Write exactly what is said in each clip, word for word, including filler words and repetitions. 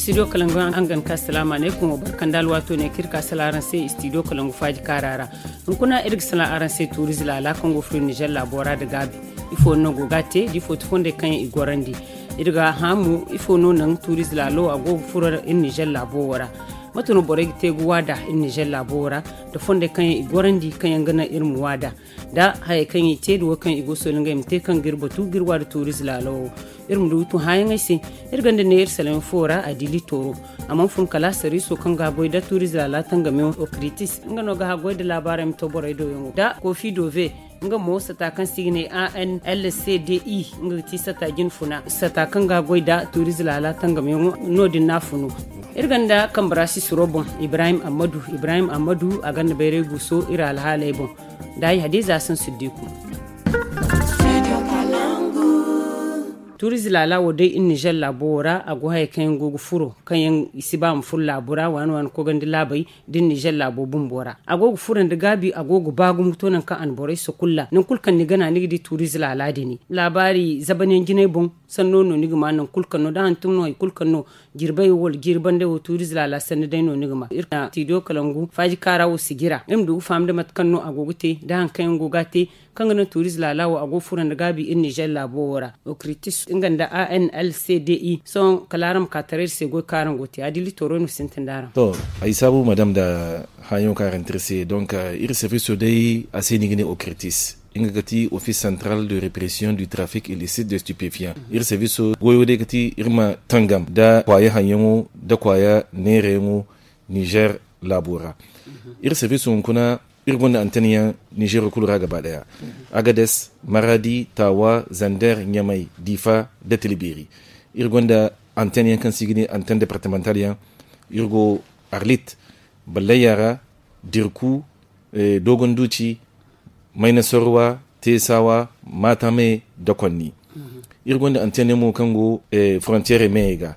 Studio kalangu, an gan ka salama ne kun wa barkan da alwato ne kirka sala aran se studio kalangu faji karara. Hunkuna irga sala aran se turiz lala kan go furu nijar labora da gabi. Ifo no go ga te di fo ti fonde kan i gorandi. Irga hamu ifo no nan turiz lalo a go furu in nijar labo wara. Matuno borai ga te guwa da in nijar labo wara da fonde kan i gorandi kan yanga na irmu wada. Da haya kan i te da wo kan i go soli ngai mate kan girba tu girwa da turiz lalo. Iri ma du tun hayaŋey se. Iri gonda neera salaŋ fo ra a di litoro. A mana fun kala sariiso kaŋ ga a goy da tuuriize laala tangamiyaŋ okritis nga no ga a goy da laabaarey ma to borey do yaŋo da kofi dove. Nga mo sata kaŋ se i ga ne a n l c d i nga ga ti sata jine funa sata kaŋ ga a goy da tuuriize laala tangamiyaŋo. No- din no a funu. Iri gonda kambarasi suro boŋ ibrahim ammadu ibrahim ammadu a gonda bayray guuso iri alhaaley boŋ. Da ay hadiza san siddiku. Tuuriize laala wo day iri nizer laabo wo ra a go haya kaŋ yaŋ go ga furo kaŋ yaŋ i si ba ma furo laabo ra waani waani kogandi laabey da iri nizer laabo bumbo ra a go ga furo nda gaabi a go ga ba gumo to nangu kaŋ a na borey sokulla nangu kulu kaŋ ni gana ni ga di tuuriize laala din. Laabaari zaban yaŋ jinay boŋ sanno no ni ga ma nangu kulu kaŋ no da hantum no hari kulu kaŋ no jirbay wo wala jirbandey wo tuuriize laala sanni day no ni ga ma iri na tiidiyo kalangu faaji kaara wo sijira iri ma du ga faham nda mate kaŋ no a go ga te da hari kaŋ yaŋ go ga a te. Kaŋ ga naŋ tuuriz laala wo a go ga furo nda gaabi iri nizer laabo wo ra okritis nga nda a n l c d i sohõ kala araŋ ma ka taray iri se goy kaŋ araŋ go ga te a dili tooro no sintin da araŋ. To ay saabu madam nda haayaŋo kaŋ araŋ te iri se donk iri serviso day a se no i ga ne okritis nga ga ti office central de repression du trafic illicite de stupéfiant. Iri serviso goyo day ga ti iri ma tangam nda kwaaya haŋyaŋo nda kwaaya neerayaŋo nizer laabo ra. Iri serviso hunkuna iri gonda antenn yaŋ nizeero kulu ra gaba daya, agades, maradi, tawa, zander, ɲamay, difa, nda tilberi. Iri gonda antenn yaŋ kaŋ se i ga ne antenn departemental yaŋ. Iri go arlit, ballayya ra, dirku, dogon duci, maynasorwa, tesawa, matame, da konni. Iri gonda antenn yaŋ mo kaŋ go frontiere meyey ga.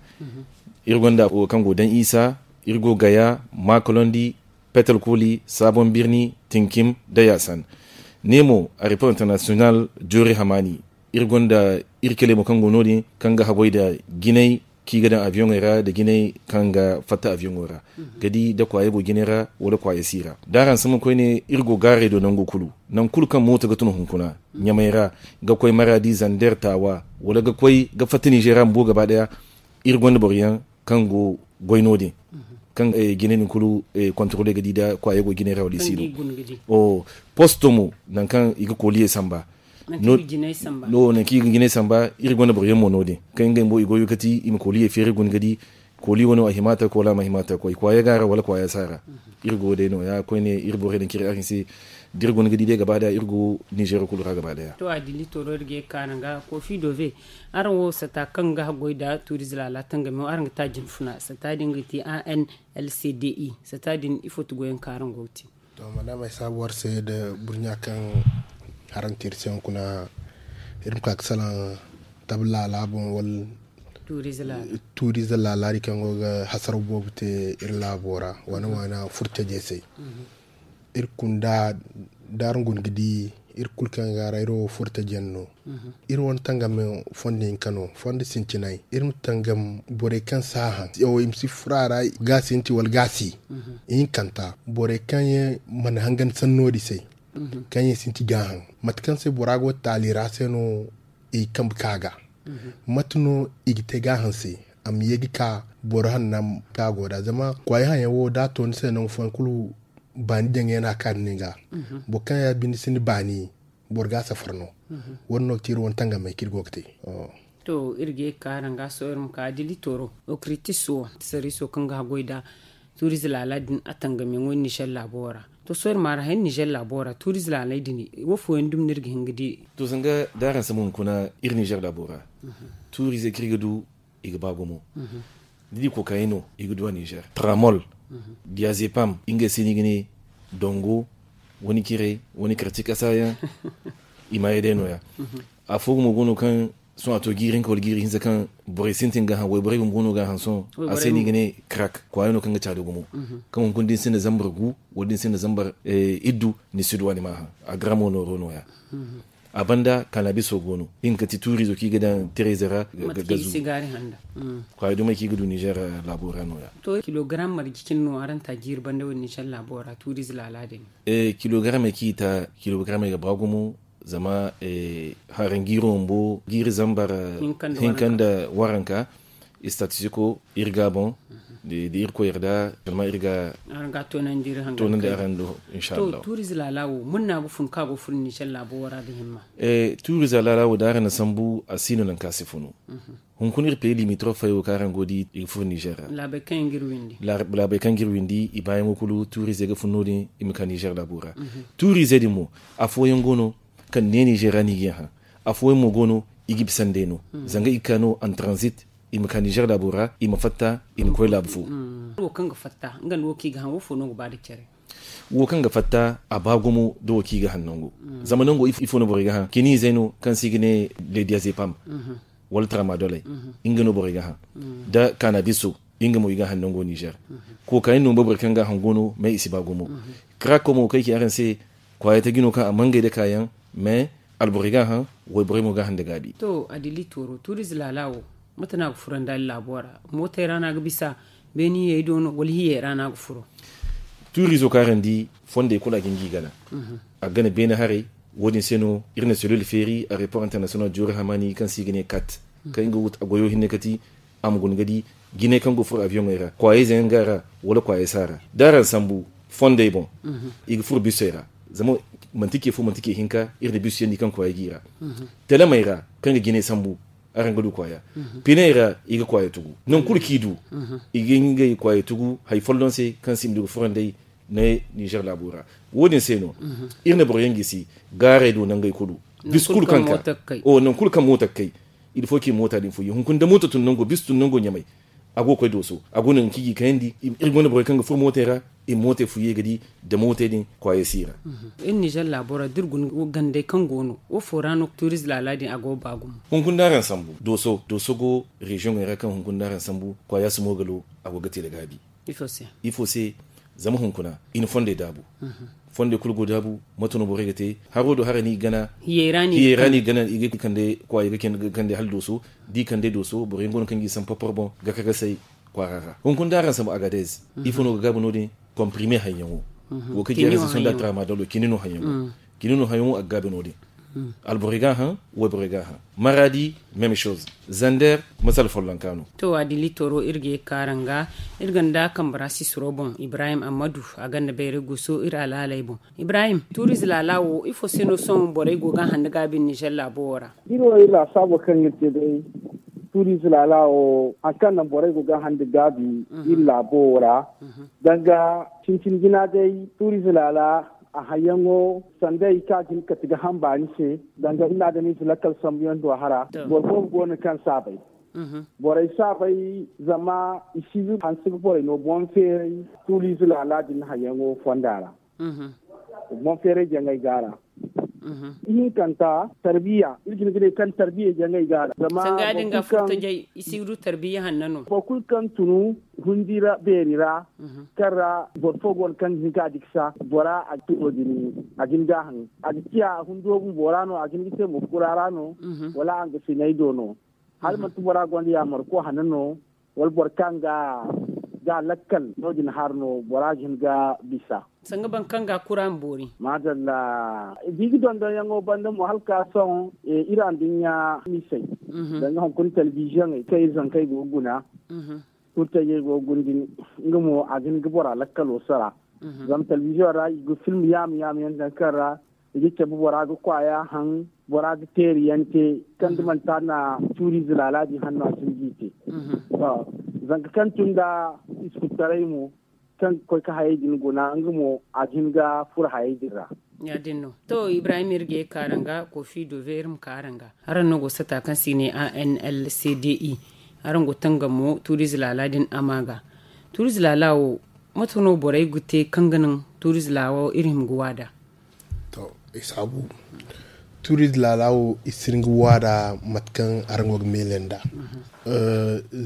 Iri gonda wo kaŋ go daŋ isa, iri go gaya, makalondi, petal koli, sabon birni, tinkim, da yasan. Ne mo airport international joori hamaani. Iri gonda iri kele mo kaŋ go no- din kaŋ ga haggoy nda jinay kaŋ i ga daŋ abiyoŋey ra nda jinay kaŋ ga fatta abiyoŋo ra, ga di da kwaaya go jinay ra wala kwaaya si ra da araŋ sama koyne iri go gaarey do nangu kulu. Nangu kulu kaŋ mooto ga tun hunkuna ɲamay ra, ga koy maradi zander taawa, wala ga koy ga fatta nizer ra bumbo gaba daya. Iri gonda boro yaŋ kaŋ go goy no- din kaŋ jine din kulu kontorole ga di da kwaaya go jine ra wala i si no. Posto mo nangu kaŋ i ga koliyey samba. No- nangu kaŋ i ga jine samba iri gonda boro yaŋ mo no- din kaŋ ngey bumbo i goyo ga ti i ma koliyey feeri guna ga di koli wane a hima ta koy wala a ma hima ta koy kwaaya ga ra wala kwaaya si a ra. Iri go day no- ya koyne iri borey din kaŋ iri araŋ se da iri guna ga di day gaba daya iri go nizeero kulu ra gaba daya. To a dili tooro iri ga ye ga ka araŋ ga kofi dove. Araŋ wo sata kaŋ ga haggoy nda tuuriz laala tangamiyaŋo araŋ ga ta jinfuna sata din ga ti a n l c d i sata din ifo ti goyaŋ kaŋ araŋ go ga te? To madam ay saabu war se nda burɲa kaŋ haraŋ te iri se hunkuna. Iri ma ka ga salaŋ tabi laala boŋ wala tuuriz laala din kaŋ go ga hasaraw boobo te iri laabo ra waana waana furtaje se. Iri kunda da araŋ guna ga di iri kulu kaŋ ga ra iri wo furtaje yaŋ no. Iri wane tangam fondo hinka no fondo sintinay iri ma tangam borey kaŋ si a haŋ i ma si furo a ra ga sinti wala ga si. Ihinkanta borey kaŋ yaŋ mana hangan sanno din se kaŋ yaŋ sinti ga haŋ mate kaŋ se bora go taali ra se no i ga kambe ka ga. Mate no i ga te ga haŋ se a ma ye ga ka boro hanna ka go da zama kwaay haŋ yaŋ wo da a to ni se nangu fooyaŋ kulu baani jaŋ yaŋ no a ka ni ga. Boro kaŋ ya binde sinda baani boro ga a safar no. Wo- din no ga te iri wane tangamey kaŋ iri go ga te. To iri ga ye ga ka araŋ ga sohõ iri ma ka dili tooro okritis wo sariiso kaŋ ga haggoy nda tuurize laala din a tangam yaŋo nizer laabo wo ra. To sohõ iri ma araŋ hay nizer laabo wo ra tuurize laaley din wo fooyaŋ dumi no iri ga hin ga di? To zanga da araŋ sambu hunkuna iri nizer laabo ra tuurize kaŋ iri ga du i ga ba gumo. Ni di kokaino i ga du a nizer tramol, diazepam ngey se no i ga ne dongo, wani cire, wani karci kasa yaŋ. I maayey day no- ya afo gumo go no kaŋ sohõ a to jiiri hinka wala jiiri hinza kaŋ borey sintin ga a haŋ wayborey bumbo no ga a haŋ sohõ. A se no i ga ne krak kwaaya no kaŋ ga caadi gumo kaŋ hunkuna da ni sinda zambar gu wala da ni sinda zambar iddu ni si du a ni ma a haŋ. A garamo nooro no- ya. A banda kanabiso go no, nga ga ti tuuriizo kaŋ i ga daŋ tereze ra ga gazu. Kwaara dumey kaŋ i ga du nizer laabo ra nooya. To kilogaram marje cine no araŋ ta jiiri banda wo nizer laabo ra tuuriize laala din? Kilogaramey kaŋ i ta, kilogaramey ga ba gumo. Zama haranjiiro bumbo jiiri zambar hinka nda waranka. Istatistiko iri ga a boŋ da irkoy yarda zama iri ga toonandi araŋ do. Inshallah. Tuuriize laala wo manna ga fun kaŋ a go fun nizer laabo wo ra da himma? Tuuriize laala wo da araŋ na sambu a si no nangu kaŋ a si funu. Hunkuna iri peyi limitrof fayey wo kaŋ araŋ go ga di i ga furo nizer ra. Laabey kaŋ ga iri windi i baayaŋo kulu tuuriizey ga fun no- din i ma ka nizer laabo ra. Tuuriizey din mo afooyaŋ go no kaŋ ne nizer ra no i ga yaŋ hã. Afooyaŋ mo go no i ga bisa nd'ey no zanga i ga ka no en transit. I ma ka nizer laabo ra i ma fatta i ma koy laabu fo. Wo kaŋ ga fatta a ba gumo da wo kaŋ i ga hã nango. Zama nango ifo no borey ga hã kiniizey no kaŋ se i ga ne lediyazepam wala tramadoley. Nga no borey ga hã nda kanabiso. Nga mo i ga hã nango nizer. Kookayaŋ no boro kaŋ ga hã go no mais i si ba gumo. Karaako mo kaŋ ay ci araŋ se kwaayey ta jino kaŋ a mangay nda kaayaŋ mais alborey ga hã wayborey mo ga hã nda gaabi. To adili tooro tuuriize laala wo mate no a ga furo nda laabo ra? Mootey ra no a ga bisa beeni hiyey do no wala hiyey ra no a ga furo? Tuuriizo kaŋ araŋ di fondey kulu a ga hin ga i gana. A ga gana beene haray. Wo- din se no iri na selil feeri a report international joori hamaani kaŋ se i ga ne kat kaŋ nga wuta goyo hinne kati. A ma guna ga di jinay kaŋ go ga furo abiyoŋey ra kwaayey zayaŋ ga a ra wala kwaayey si a ra da araŋ sambu fondey boŋ. I ga furo bisey ra zama manti ce fo manti ce hinka iri na bisey yaŋ di kaŋ kwaayey g'i ra. Telemey ra kaŋ ga jinay sambu araŋ ga du kwaaya. Piney ra i ga kwaaya tugu nangu kulu kaŋ i du. I ga ngey kwaaya tugu hari folloŋ se kaŋ se i ma du ga furo nd'ey ne nizer laabo ra. Wo- din se no iri na boro yaŋ gisi gaarey do nangey kulu. Bisu kulu kaŋ ka nangu kulu kaŋ moota ga kay. Il faut kaŋ i moota din fuyye hunkuna da moota tun nango bisa tun nango ɲamay. A go ga koy dooso a go no nangu kaŋ i g'i kayandi. Iri gonda borey kaŋ ga furo mootey ra i ma mootey fuyye ga di da mootey din kwaayey si i ra. Iri nizer laabo ra da iri guna gandey kaŋ go no wo fo ra no tuuriz laala din a go ga ba gumo? Hunkuna da araŋ sambu dooso dooso go reziyoŋey ra kaŋ hunkuna da araŋ sambu kwaaya si moogalo. A go ga te da gaabi. Ifo se? Zama hunkuna i na fondey daabu. Fondey kulu go daabu. Mate no borey ga te haro do hara no i ga gana hiyey ra no i ga kande kwaayey ga kande hala dooso. Da i kande dooso boro yaŋ go no kaŋ ga i sambu porpor boŋ ga kagasay kwaara ra hunkuna da araŋ sambu agadez. Ifo no ga gaabu no- din? Komprime hayyaŋo wo kaŋ ga i ra se sonda tramadolo kini no hayyaŋo. Kini no hayyaŋo a ga gaabu no- din. Alborey ga a haŋ wayborey ga a haŋ. Maraadi même chose. Zander masala follonka no. To adili toro iri ga ye ga ka araŋ ga iri gonda kambara sisiro boŋ ibrahim ammadu a gonda bayray guso iri alaaley boŋ. Ibrahim tuuriz laala wo ifo se no sohõ borey go ga a haŋ nda gaabi nizer laabo wo ra? Iri wo iri laasaabo kaŋ iri te day tuuriz laala wo hari kaŋ naŋ borey go ga a haŋ nda gaabi iri laabo wo ra. Danga cincin jina day tuuriz laala a hayyaŋo sanday kaŋ a ga hin ga kate ga haŋ baani se. Danga iri na adamize lakkal sambuyaŋ do a hara boro boobo go no kaŋ si a bay. Borey si a bay zama i si hanse ga borey no boŋ feeray. Tuuriz laala din hayyaŋo fonda ra boŋ feeray jaŋay go a ra. Ihinkanta tarbiya iri ga hin ga ne kaŋ tarbiya jaŋay go a ra zama sanga din ga furtajay i si ga du tarbiya hanna no. Boro kulu kaŋ tunu hundi ra beeri ra kaŋ ra boro fo go no kaŋ ga hin ga a diksa bora a ga te no- din a ga hin ga a haŋ a ga ciya a hundo bumbo ra no a ga hin ga te mo kura ra no wala a nga sinay do no? Hala manti bora gonda yaamar ko hana no wala boro kaŋ ga ga lakkal no- din har no bora ga hin ga bisa. Sanga boro kaŋ ga kura ma boori. Madalla. Da i ga dondonyaŋo banda mo hala ka sohõ iri anduɲɲa misey danga hunkuna telebiziyoŋey kaŋ iri zankey go ga guna. Kurtayey go ga guna din nga mo a ga hin ga bora lakkalo sara. Zama telebiziyoŋ ra i ga film yaama yaama yaŋ daŋ kaŋ ra i ga cabe bora ga kwaaya haŋ bora ga teeri yaŋ te kaŋ da manti a na tuuriize laala din hanno a si hin g'i te. Zanka kaŋ tun nda iskuttaray mo kaŋ ga koy ga hayey din guna nga mo a ga hin ga furo hayey din ra. Ya- din no to ibrahim iri ga ye ga ka araŋ ga kofi dove iri ma ka araŋ ga. Araŋ no go sata kaŋ se i ne a n l c d i. Araŋ go tangam mo tuuriize laala din a ma ga. Tuuriize laala wo mate no borey ga te kaŋ ga naŋ tuuriize laala wo iri hima ga waada? To i saabu tuuriize laala wo i si hin ga waada mate kaŋ araŋ go ga meele nd'a.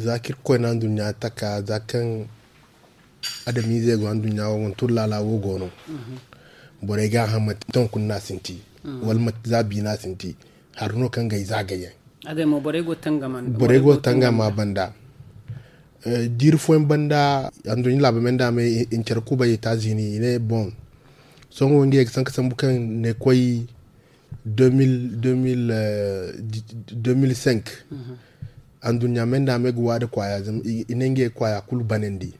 Za kaŋ irkoy na anduɲɲa taka za kaŋ adamiizey go anduɲɲa wo ga tuuri laala wo go no. Borey ga a haŋ manti ton kulu no a sinti. Wala mate za biina sinti. Hari no kaŋ ga ay za gayyaŋ. Borey go tangama banda. Jiiri fooyaŋ banda, anduɲɲa laabo me nda me i na care kubay etazini i ne boŋ. Sohõ ngey ga sanka sambu kaŋ ne koy deux mille deux mille cinq. Anduɲɲa me nda me ga waada kwaaya zama i ne ngey kwaaya kulu banandi.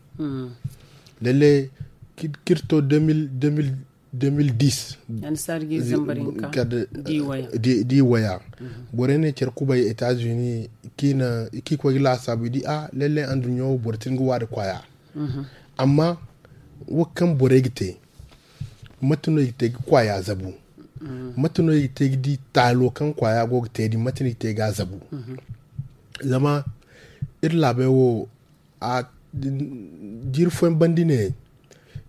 Lalle kirto deux mille deux mille deux mille dix. Di waya. Borey ne care kubay etazini, k'i koy ga laasaabu i di a lalle anduɲɲa wo boro tin ga waada kwaaya. Amma wo kaŋ borey ga te, mate no i ga te ga kwaaya zabu? Mate no i ga te ga di taalo kaŋ kwaaya go ga te din mate no i ga te ga a zabu? Zama iri laabey wo jiiri fooyaŋ banda ne,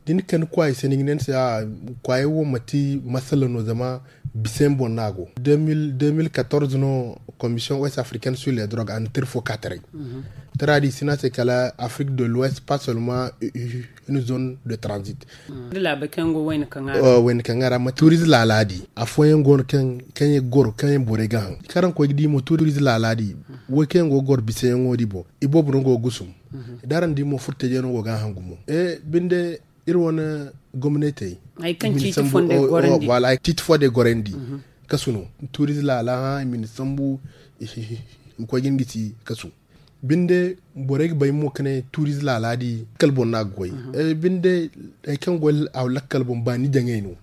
da ni kande kwaayey se ni ga ne ni se a kwaayey wo manti masala no zama bisa yaŋ boŋ no a go. Deux mille quatorze no, commission ouest africaine sur les drogues a na tira fo ka taray. Tira di i si ne a se kala afrique de l'ouest pas seulement une zone de transit. Wayna kaŋ a ra ma tuurize laala di. Afooyaŋ go no kaŋ yaŋ goro kaŋ yaŋ borey ga haŋ kaŋ araŋ koy ga di mo tuurize laala di. Wo kaŋ yaŋ go ga goro bisayaŋo di boŋ, iboobo no go ga gusum. Da araŋ di mo furtaje no go ga a haŋ gumo. Binde iri wane gomnatey, ciiti fo day gorandi. Kasu no, tuurize laala hã i ma ni sambu. I ma koy ga ni gisi kasu. Binde borey ga bay mo ka ne tuurize laala di lakkal boŋ no a ga goy. Binde hari kaŋ goy lakkal boŋ baani jaŋey no.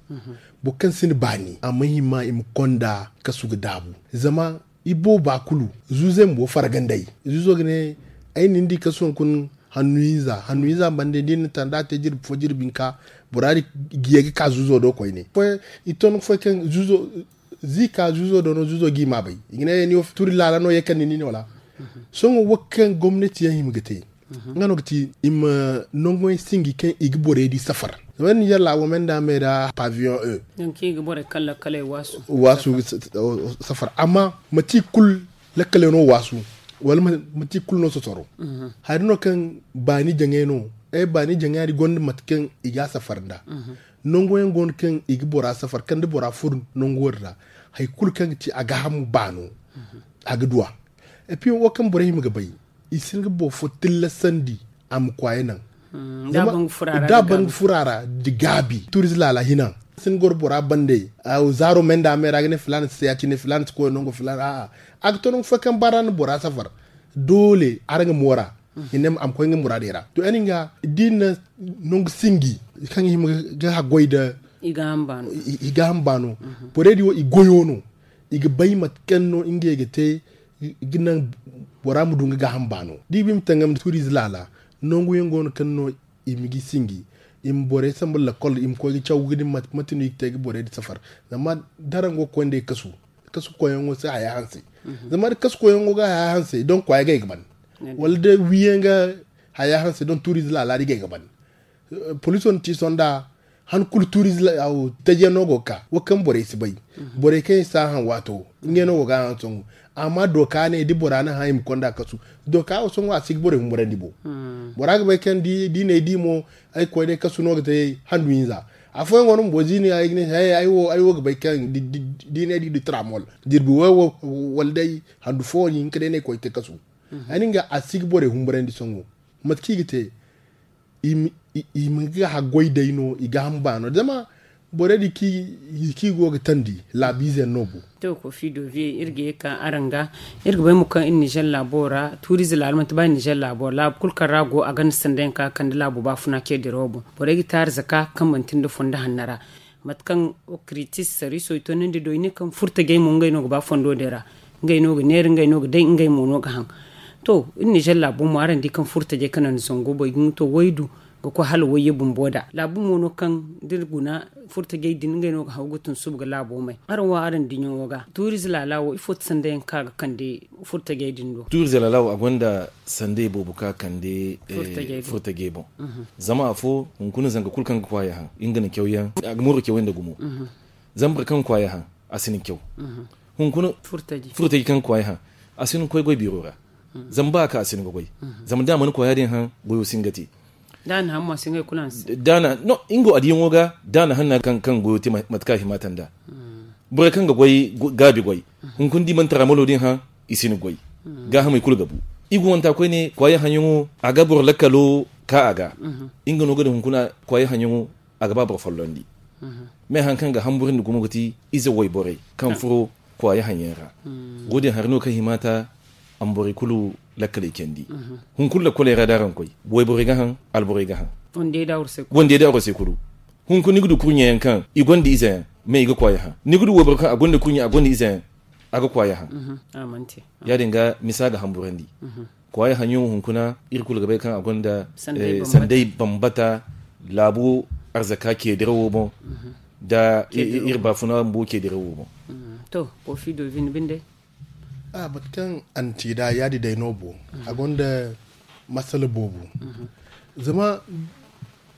Boro kaŋ sinda baani a ma hima i ma konda kasu ga daabu. Zama ibooba kulu zuuzey ma go fargandey. Zuuzo ga ne ay na ni di kasu hunkuna hannu hinza hannu hinza ma bande da ni na tanda te jirbi fo jirbi hinka. Bora din ga ye ga ka zuuzo do koyne. I ton ga foy kaŋ zuuzo zi ka zuuzo do no zuuzo g'i ma bay. I ga ne ni wo tuuri laala no ye kande ni ne wala? Sohõ wo kaŋ gomnati yaŋ hima ga te nga no ga ti i ma nangu yaŋ singi kaŋ i ga borey di safar. Zama ninzeer laabo me nda me ra paviyon e. Waasu safar amma manti i kulu lakkaley no waasu. Wala manti i kulu no sosoro. Hari no kaŋ baani jaŋey no ay baani jaŋey hari gonda mate kaŋ i ga a safar nda. Nangu yaŋ go no kaŋ i ga bora safar kaŋ da bora furo nangu wo din ra hari kulu kaŋ ga ti a ga hamu baano. A ga duw'a. Epi wo kaŋ borey hima ga bay i si hin ga boro fo tillasandi a ma kwaaya naŋ. Da a ban ga furo a ra da gaabi tuurize laala hina. Sin goro bora bande zaaro me nda me ra ga ne filaana si te ya- cine filaana si koy nango filaana a'a. A ga to nangu fo kaŋ ba ra na bora safar. Doole araŋ ga moora. I ne a ma koy nga muraadey ra to yaŋ din ga da i na nangu singi kaŋ i hima ga haggoy nda i ga hamba no. Borey din wo i goyo no. I ga bay mate kaŋ no ngey ga te ga naŋ bora ma du nga gaaham baano da i ba i ma tangam da tuuriize laala. Nangu yaŋ go no kaŋ no i ma ga singi i ma borey sambu lakkol i ma koy ga caw ga di mate no i ga te ga borey din safar. Zama da araŋ go ga koy nd'ey kasu kasu koyyaŋo si haya hanse. Zama da kasu koyyaŋo ga haya hanse donk kwaaya ga ay ga ban. Wala da wiyaŋ ga haya hanse donk tuuriize laala din ga ay ga ban. Poliso na ci sonda han kulu tuuriize taji yaŋ no go ga ka wo kaŋ borey si bay. Borey kaŋ i si a haŋ waato ngey no go ga a haŋ sohõ. Amma dooka ne da bora na hã i ma konda kasu. Dooka wo sohõ a si ga borey humburandi bo. Bora ga bay kaŋ da i n'ay di mo ay ga koy day kasu no ga te handu hinza. Afooyaŋ go no bumbo da i ne ay ga ne ay wo ay wo ga bay kaŋ da i n'ay di da tramol jirbi way wo wala day handu fo ni hinka day no ay ga koy ga te kasu. Ay na nga a si ga borey humburandi sohõ. Mate kaŋ i ga te i ma ga haggoy day no i ga hamba no zama borey din kaŋ i go ga tandi laabiize yaŋ no bo. To kofi doviye iri ga ye ka araŋ ga iri ga bay mo kaŋ iri nizer laabo ra tuuriize laala manti ba iri nizer laabo ra laabu kulu kaŋ ra a go a gonda sanda yaŋ kaŋ a ga kande laabo baafuna ce dirawo boŋ. Borey ga taari zaka kaŋ manti nda fondo hanno ra. Mate kaŋ okritis sariiso i toonandi do i ne kaŋ furtajey mo ngey no ga ba fondo din ra. Ngey no ga neera ngey no ga day ngey mo no ga haŋ. To iri nizer laabo mo araŋ di kaŋ furtajey kaŋ naŋ zango boy ga ɲuto waydu ga koy hala wayye bumbo da laabu mo no kaŋ da iri guna furtajey din ngey no ga haw ga tun suba ga laabo may araŋ wo araŋ diɲaŋo ga tuuriize laala wo ifo ti sanda yaŋ kaŋ a ga kande furtajey din do. Tuuriize laala wo a gonda sandey boobo kaŋ a kande furtajey boŋ. Zama afo hunkuna zanga kulu kaŋ ga kwaaya haŋ nga na caw yaŋ a ga mooro cawey nda gumo. Zama boro kaŋ ga kwaaya haŋ a si na caw. Hunkuna furtaji kaŋ ga kwaaya haŋ a si na koy goy biiro ra. Zama ba a ka a si na ga goy. Zama da a mana kwaaya din haŋ goyo si nga te. Da a na haŋ mo a si nga kulu haŋ se. Da a na no nga wo a diyaŋo ga da a na haŋ na kaŋ goyo te mate kaŋ a hima tanda. Borey kaŋ ga goy gaabi goy, hunkuna da i mana tara malo din hã, i si ni goy. Gaahamey kulu ga bu. I go wanta koyne kwaaye haŋyaŋo, a ga boro lakkalo ka a ga. Nga no ga din hunkuna kwaaye haŋyaŋo, a ga ba boro follondi. Me haŋ kaŋ ga hamburandi gumo ga ti ize wayborey kaŋ furo kwaaye haŋyaŋ ra. Wo-din hari no kaŋ hima ta a ma borey kulu lakkaley candi. Hunkuna lakkoley ra da araŋ koy, wayborey ga haŋ, alborey ga haŋ. Wande da arsay kulu. Hunkuna ni ga du kurɲe yaŋ kaŋ i gonda ize yaŋ, me i ga kwaaye haŋ. Ni ga du wayboro kaŋ a gonda kurɲe, a gonda ize yaŋ, a ga kwaaye haŋ. Ya-din ga misa ga hamburandi. Kwaaye haŋyaŋo hunkuna, iri kulu ga bay kaŋ a gonda sanday bambata, laabo arzaka ceedirawo boŋ, da iri baafuna bumbo ceedirawo boŋ. To, kofi do vin binde. A mate kaŋ a na ci nd'a yaadi day no bo, a gonda masala boobo. Zama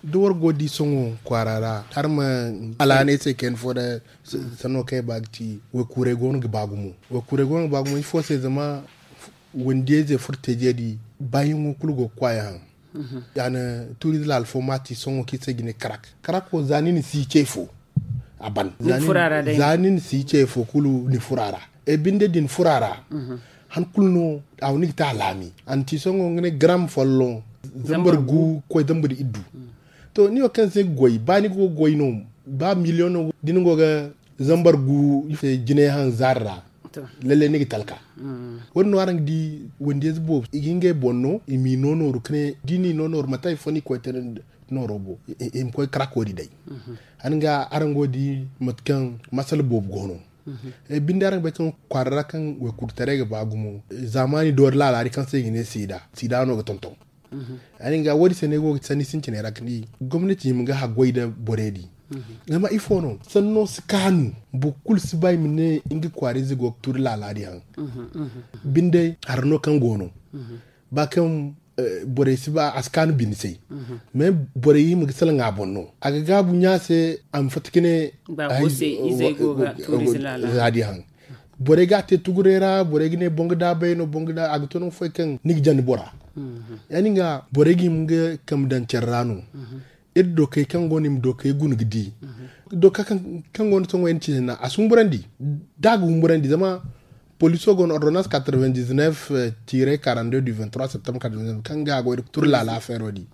da war go di sohõ kwaara ra, har ma alaanay se kayna fo da sanno kaŋ ay ba ga ci, waykuuray go no ga ba gumo. Waykuuray go no ga ba gumo ifo se? Zama wandiyayze furtayzey di, baayaŋo kulu go ga kwaaye haŋ. A na tuuriize laala fo ma ti sohõ kaŋ i se ga ne karak. Karak wo za ni na si ce fo, a ban. Za ni na si ce fo kulu ni furo a ra. E binde din furo a ra, han kulu no a wo ni ga te a laami. A na ti sohõ nga ne garam folloŋ, zambar gu ga koy zambar iddu. To ni wo kaŋ se ga goy ba ni go ga goy no, ba miliyoŋ no da ni go ga zambar gu jinay haŋ zaari ra, lalle ni ga talka. Wo-din no araŋ ga di, wandiyayze boobo i ga ngey boŋ no i m'i no nooru ka ne da i n'i no nooru mate hari fo no i koy te nooro boŋ, i ma koy karak wo-din day. Araŋ ga araŋ go ga di mate kaŋ masala boobo go no. Binde araŋ ga bay kaŋ kwaara ra kaŋ waykuurtaray ga ba gumo, zaamaani doori laala din kaŋ se i ga ne siida, siida no ga tonton. Ya-din ga wo-din se no ay go ga ti sanni sintinay ra ka di gomnati hima ga haggoy nda borey din. Zama ifo no sanno si kaanu, boro kulu si ba i ma ne nga kwaarayze go ga tuuri laala din haŋ. Binde hari no kaŋ go no, ba kaŋ borey si ba a si kaanu bine se. Mais borey hima ga salaŋ a boŋ no, a ga gaabu ɲa se a ma fatta ka ne, izey go ga tuuriize laala din haŋ. Borey ga a te tuguray ra, borey ga ne boŋ ga daabay no, boŋ ga da a ga to nangu fooyaŋ kaŋ ni ga jandi bora. Ya-din ga borey ga hima ga kambe daŋ care ra no. Iri dokey kaŋ go no i ma dokey guna ga di, doka kaŋ go no sohõ yaŋ ciine na a si humburandi. Da a ga humburandi zama poliso go no ordonnance quatre-vingt-dix-neuf tiire quarante-deux du vingt-trois septembre quatre-vingt-dix-neuf kaŋ ga a goy da turi laala feero di.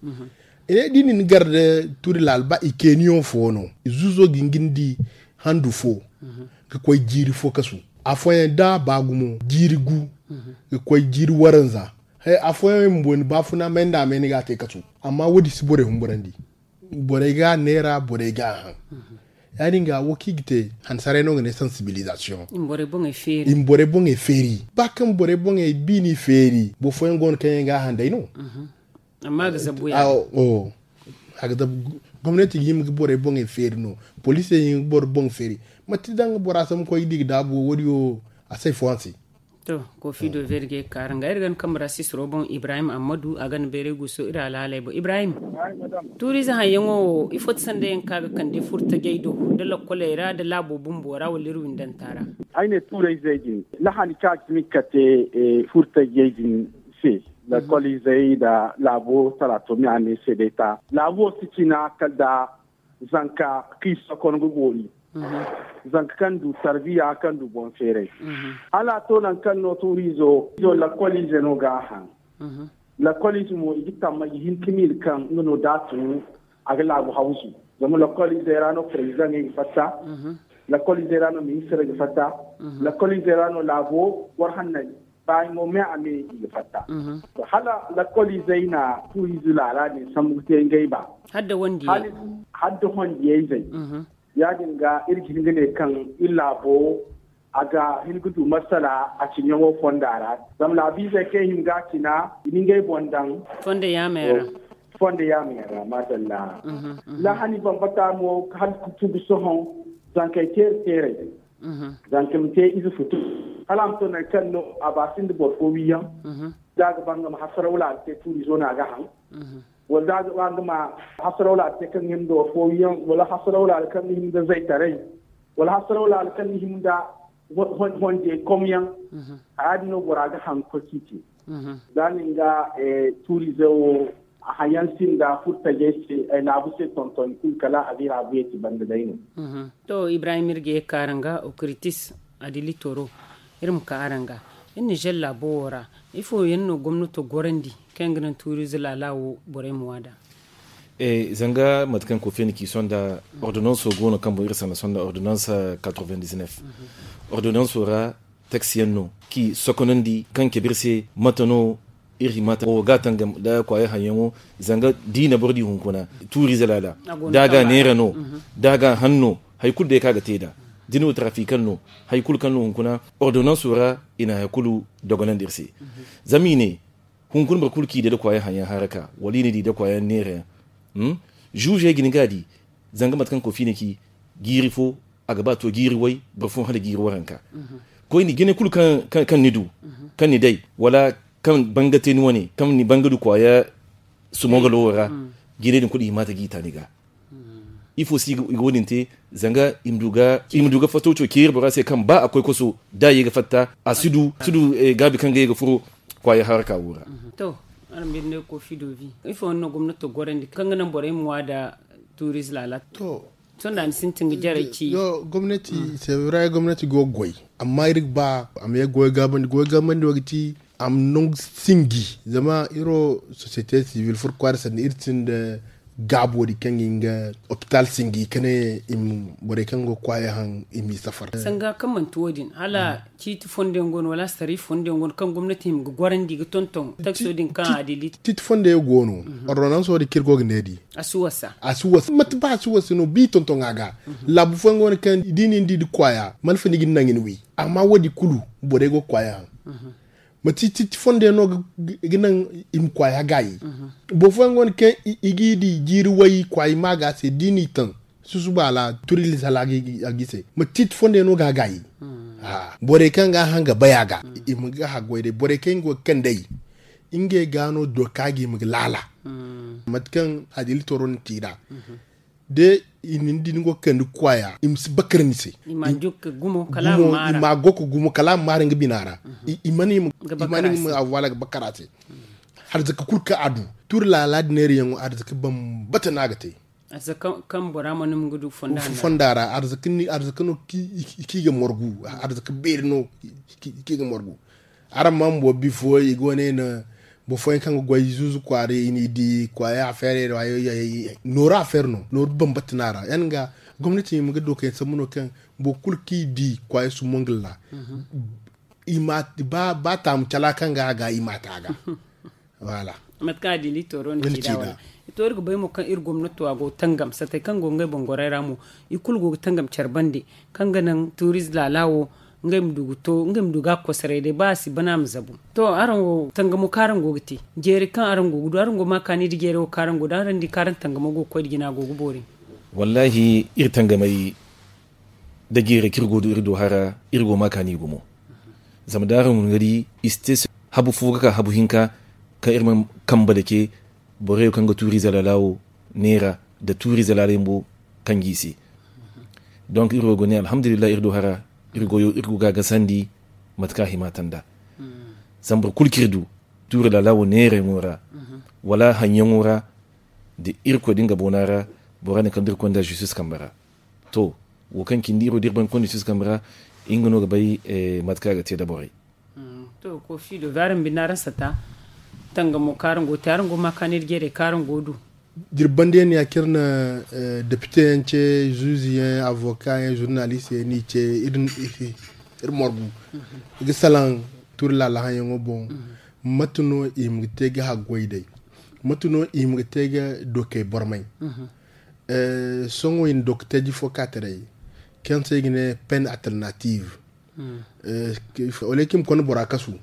I ne da i na ni gar da turi laala ba i keeniyaŋ fo no, zuuzo ga hin ga ni di handu fo ga koy jiiri fo kasu. Afooyaŋ da ba gumo jiiri gu ga koy jiiri waranza. Afooyaŋ i ma booni baafuna may nda a may ni ga a te kasu. Amma wo-din si borey humburandi. Borey ga a neera, borey ga a haŋ. Ya-din ga wo kaŋ i ga te hansaray no ga ne sensibilisation. I ma borey boŋey feeri. Ba kaŋ borey boŋey biini feeri boro fooyaŋ go no kaŋ yaŋ ga a haŋ day no. Amma a ga zabu ya. A ga zabu. Gomnati ga hima ga borey boŋey feeri no. Poliisey ga hima ga borey boŋey feeri. Mate daŋ bora sambu koy ga di ga daabu wo wo-din wo a si ay fooyaŋ se. To, kofi do verge kaara nga iri ga ni kambe ra sisiro boŋ ibrahim ammadu a ga ni bayray guuso iri alhaaley boŋ ibrahim. Tuuriize haŋyaŋo wo ifo ti sanda yaŋ kaŋ a ga kande furtajey do da lakkoley ra da laabo bumbo ra wala iri windanta ra. Ay ne tuurayzey din lahani kaŋ a ga hima ga kate furtajey din se, lakkoliizey nda laabo talaato me a ne se day ta laabo si cina kala da zanka kaŋ i sokon ga boori. Zanka kaŋ du tarbiya kaŋ du boŋ feeray. Hala a to nangu kaŋ no tuuriizo izo lakkoliize no ga a haŋ. Lakkoliize mo i ga tamma i ga hin ka miila kaŋ nga no da a tun a ga laabu hawzu. Zama lakkoliizey ra no prezidaŋey ga fatta. Lakkoliizey ra no ministirey ga fatta. Lakkoliizey ra no laabo boro hanney baayaŋo me a me i ga fatta. Hala lakkoliizey na tuuriize laala din sambu ga te ngey ba. Hala da hondiyayzey. Ya-din ga iri ga hin ga ne kaŋ iri laabo a ga hin ga du masala a ciɲaŋo fonda ra. Zama laabiizey kaŋ i hima ga a cina i na ngey boŋ daŋ fonda yaamey ra. Madalla. Lahani bambata mo hala ga tugu sohõ zankey teeri teerey. Zanka ma te ize futu hala a ma to nangu kaŋ no a ba sinda boro fo wiiyaŋ. Da a ga ba nga ma hasaraw laala te tuuriizo no a ga haŋ. Wala da a ga ba nga ma hasaraw laala te kaŋ ga hima nda boro fo wiiyaŋ wala hasaraw laala kaŋ ga hima nda zaytaray wala hasaraw laala kaŋ ga hima nda honjey komyaŋ. Haya din no bora ga haŋ ga koy ka i te. Za nin ga tuuriize wo hayan sinda furtajey se ay laabu se tonton kulu kala a ga iri a buye ti banda day no. To ibrahim iri ga ye ka araŋ ga okritis adili toro iri ma ka araŋ ga iri nizer laabo wo ra ifo yaŋ no gomnato gorandi kaŋ yaŋ ga naŋ tuuriize laala wo borey ma waada? Zanga mate kaŋ kofi yaŋ ci sohõ nda ordonanso go no kaŋ boŋ iri sanda sohõ nda ordonansa quatre-vingt-dix-neuf. Ordonanso ra taksi yaŋ no kaŋ i sokonandi kaŋ cabe iri se mate no iri hima ta wo ga a tangam nda kwaayo haŋyaŋo. Zanga da i na boro di hunkuna tuuriize laala da a ga neera no da a ga haŋ no hari kulu day kaŋ a ga te nd'a da ni wo tarafikaŋ no hari kulu kaŋ no hunkuna ordonanso ra i na hari kulu dogonandi iri se. Zama i ne hunkuna boro kulu kaŋ i day da kwaayo haŋyaŋ haraka wala i na di da kwaayo neera yaŋ zuuzey ga ni ga a di. Zanga mate kaŋ kofi na ci jiiri fo a ga ba to jiiri way boro fo hala jiiri waranka. Koyne jine kulu kaŋ ni du kaŋ ni day wala kaŋ banga te ni wane kaŋ ni banga du kwaaya sumo ga lowo ra. Jine din kulu i hima ta ga i ta ni ga ifo se i ga wo- din te? Zanga i ma du ga fattaw co ceeri bora se kaŋ ba a koy koso da a ye ga fatta a si du gaabi kaŋ ga ye ga furo kwaaya haraka wo ra. To araŋ binde kofi dovi ifo no gomnato gorandi kaŋ ga naŋ borey ma wa da tuuriz laala? To sohõ da ni sintin ga jarey ci. Gomnati sevray gomnati go ga goy amma iri ga ba a ma ye goy gaabandi goy gaabandi wo ga ti a ma nangu sinji zama iri wo sosiyete sivil furkwari sanda iri sinda gaabo din kaŋ ga hin ga opital sinji ka ne borey kaŋ go ga kwaayey haŋ i m'i safar. Sanga kaŋ manti wo- din hala ciiti fondo yaŋ go no wala astari fondo yaŋ go no kaŋ gomnati hima ga gorandi ga tonton taksiyo din kaŋ a dili? Ciiti fondo yaŋ go no ordonanso din kaŋ iri go ga ne di a si wasa. Mate ba a si wasa no ba i tonton a ga laabu fooyaŋ go no kaŋ da i na ni di da kwaaya malfa ni ga ni naŋ ni wi. Amma wo- din kulu borey go ga kwaaya haŋ. Mate ciiti fondo yaŋ no ga naŋ i ma kwaaya gaayi. Boro fooyaŋ go no kaŋ i g'i di jiiri way kwaaya ma ga se da i n'i taŋ susuba ra turi lisala a g'i se mate ciiti fondo yaŋ no ga a gaayi. Borey kaŋ ga a haŋ ga bay a ga i ma ga haggoy day borey kaŋ go ga kand'ey ngey ga no doka ga i ma ga laala. Mate kaŋ adili toro na te i ra da i na ni di ni go ga kande kwaaya i ma si bakar ni se. I ma go ka gumo kala a ma maara nga bina ra. I mana i ma a waala ga bakar a se. Arzaka kulu kaŋ a du turi laala da neera yaŋo arzaka bambata no a ga te. Arzaka kaŋ bora mana ma ga du fonda ra arzaka no kaŋ i ga morgu arzaka beeri no kaŋ i ga morgu. Araŋ ma bumbo bifo i go ne no boro fooyaŋ kaŋ ga goy zuuzu kwaara i n'i di kwaaya afeerey ra nooru afeer no nooru bambata no a ra yaŋ ga gomnati ma ga dookey sambu no kaŋ boro kulu kaŋ i di kwaaya sumo nga ra. Ba taamu cala kaŋ ga a ga i ma a te a ga. Mate kaŋ a di litoro no ci da wala. To iri ga bay mo kaŋ iri gomnato a go ga tangam satey kaŋ go ngey boŋ gorey ra mo i kulu go ga tangam care bande kaŋ ga naŋ tuuriz laala wo ngey ma du ga to ngey ma du ga a kosoray day ba a si bana a ma zabu. To araŋ wo tangamo kaŋ araŋ go ga te jeeri kaŋ araŋ go ga du araŋ go ma kaani nda jeeri wo kaŋ araŋ go ga du araŋ di kaŋ araŋ tangamo go ga koy nda jina go ga boori. Wallaahi iri tangamey da jeerey kaŋ iri go ga du iri do hara iri go ma kaani gumo. Zama da araŋ guna ga di i si te habu fo ga ka habu hinka kaŋ iri mana kambe dake borey kaŋ ga tuuriize laala wo neera nda tuuriize laala yaŋ bo kaŋ ga i se. Donk iri wo ga ne alhamdulillahi iri do hara iri goyo iri go ga a gasandi mate kaŋ a hima te nd'a. Zama boro kulu kaŋ iri du tuuri laala wo neerayaŋo ra wala haŋyaŋo ra nda irkoy da nga boona ra bora ne kaŋ da iri koy nd'a zistis kambe ra. To wo kaŋ cindi iri wo da iri baŋ ga koy nda zistis kambe ra nga no ga bay mate kaŋ a ga te nda borey. To kofi do ga araŋ binde araŋ sata tangamo kaŋ araŋ go ga te araŋ go ga ma kaani nda jeerey kaŋ araŋ go ga du. Jirbandiyaŋ ya kaŋ iri na depite yaŋ ce zuuzu yaŋ avoka yaŋ zurnalist yaŋ no i ce iri morgu i ga salaŋ tuuri laala haŋyaŋo boŋ. Mate no i ma ga te ga haggoy day? Mate no i ma ga te ga dokey bormay? Sohõ i na dokotaaji fo ka taray kaŋ se i ga ne pen alternative. Wala i kaŋ i ma konda bora kasu